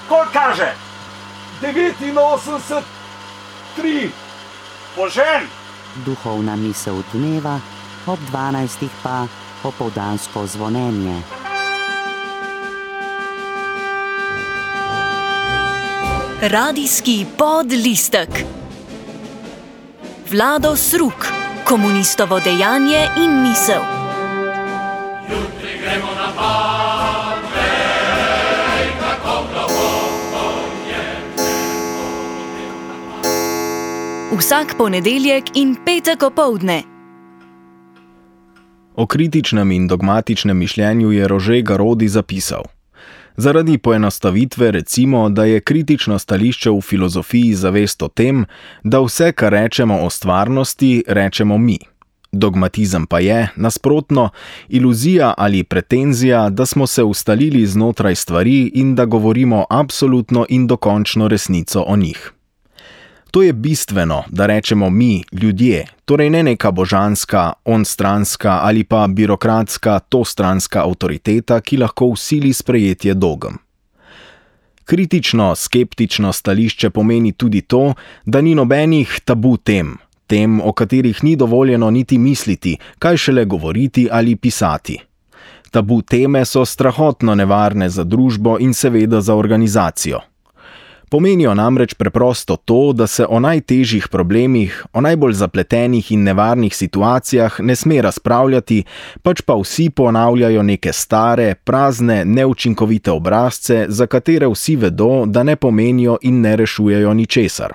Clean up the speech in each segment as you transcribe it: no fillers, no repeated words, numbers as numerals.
Koliko kaže? 89, 3. Požen! Duhovna misel dneva, ob 12. pa popoldansko zvonjenje. Radijski podlistek. Vlado Sruk, komunistovo dejanje in misel. Jutri gremo na Pave, kako globoko je nebo. Vsak ponedeljek in petek opoldne. O kritičnem in dogmatičnem mišljenju je Rože Garaudy zapisal: zaradi poenostavitve recimo, da je kritično stališče v filozofiji zavest o tem, da vse, kar rečemo o stvarnosti, rečemo mi. Dogmatizem pa je, nasprotno, iluzija ali pretenzija, da smo se ustalili znotraj stvari in da govorimo absolutno in dokončno resnico o njih. To je bistveno, da rečemo mi, ljudje, torej ne neka božanska, onstranska ali pa birokratska, tostranska avtoriteta, ki lahko vsili sprejetje dogem. Kritično, skeptično stališče pomeni tudi to, da ni nobenih tabu tem, o katerih ni dovoljeno niti misliti, kaj šele govoriti ali pisati. Tabu teme so strahotno nevarne za družbo in seveda za organizacijo. Pomenijo namreč preprosto to, da se o najtežjih problemih, o najbolj zapletenih in nevarnih situacijah ne sme razpravljati, pač pa vsi ponavljajo neke stare, prazne, neučinkovite obrazce, za katere vsi vedo, da ne pomenijo in ne rešujejo ničesar.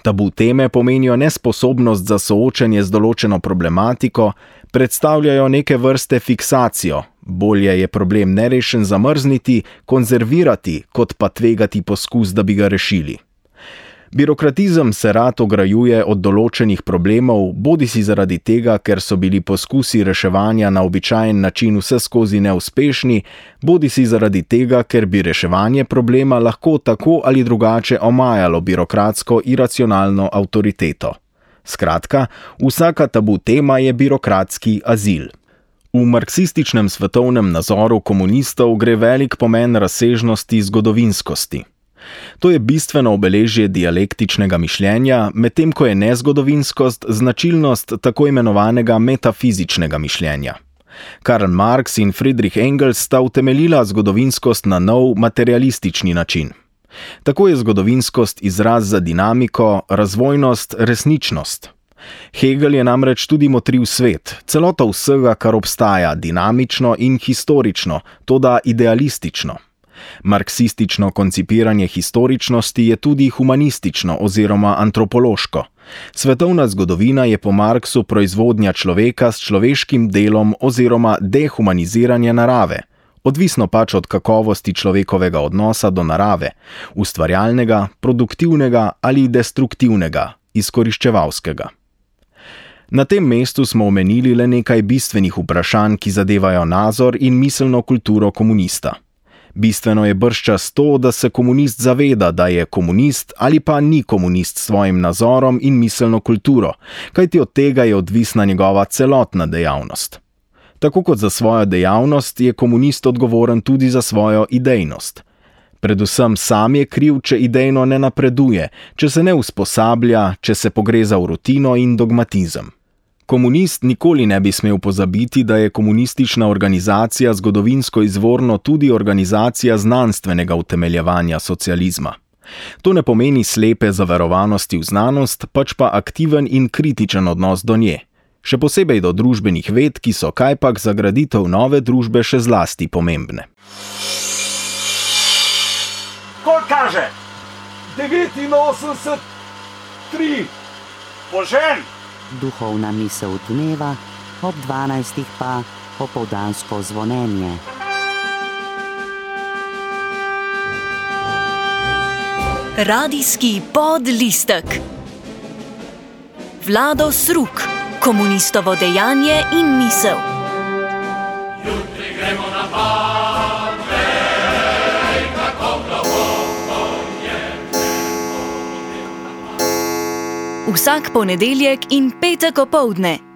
Tabu teme pomenijo nesposobnost za soočanje z določeno problematiko, predstavljajo neke vrste fiksacijo, bolje je problem nerešen zamrzniti, konzervirati, kot pa tvegati poskus, da bi ga rešili. Birokratizem se rad ograjuje od določenih problemov, bodisi zaradi tega, ker so bili poskusi reševanja na običajen način vseskozi neuspešni, bodisi zaradi tega, ker bi reševanje problema lahko tako ali drugače omajalo birokratsko iracionalno avtoriteto. Skratka, vsaka tabu tema je birokratski azil. V marksističnem svetovnem nazoru komunistov gre velik pomen razsežnosti zgodovinskosti. To je bistveno obeležje dialektičnega mišljenja, medtem ko je nezgodovinskost značilnost tako imenovanega metafizičnega mišljenja. Karl Marx in Friedrich Engels sta utemeljila zgodovinskost na nov materialistični način. Tako je zgodovinskost izraz za dinamiko, razvojnost, resničnost. Hegel je namreč tudi motriv svet, celota vsega, kar obstaja, dinamično in historično, toda idealistično. Marksistično koncipiranje historičnosti je tudi humanistično oziroma antropološko. Svetovna zgodovina je po Marksu proizvodnja človeka s človeškim delom oziroma dehumaniziranje narave, odvisno pač od kakovosti človekovega odnosa do narave, ustvarjalnega, produktivnega ali destruktivnega, izkoriščevalskega. Na tem mestu smo omenili le nekaj bistvenih vprašanj, ki zadevajo nazor in miselno kulturo komunista. Bistveno je bržčas to, da se komunist zaveda, da je komunist ali pa ni komunist s svojim nazorom in miselno kulturo, kajti od tega je odvisna njegova celotna dejavnost. Tako kot za svojo dejavnost je komunist odgovoren tudi za svojo idejnost. Predvsem sam je kriv, če idejno ne napreduje, če se ne usposablja, če se pogreza v rutino in dogmatizem. Komunist nikoli ne bi smel pozabiti, da je komunistična organizacija zgodovinsko izvorno tudi organizacija znanstvenega utemeljevanja socializma. To ne pomeni slepe zaverovanosti v znanost, pač pa aktiven in kritičen odnos do nje, še posebej do družbenih ved, ki so kajpak za graditev nove družbe še zlasti pomembne. Koliko kaže? 89, 3. Požen! Duhovna misel dneva, ob 12. pa popoldansko zvonjenje. Radijski podlistek. Vlado Sruk, komunistovo dejanje in misel. Jutri gremo na Pave, kako globoko je nebo. Vsak ponedeljek in petek opoldne.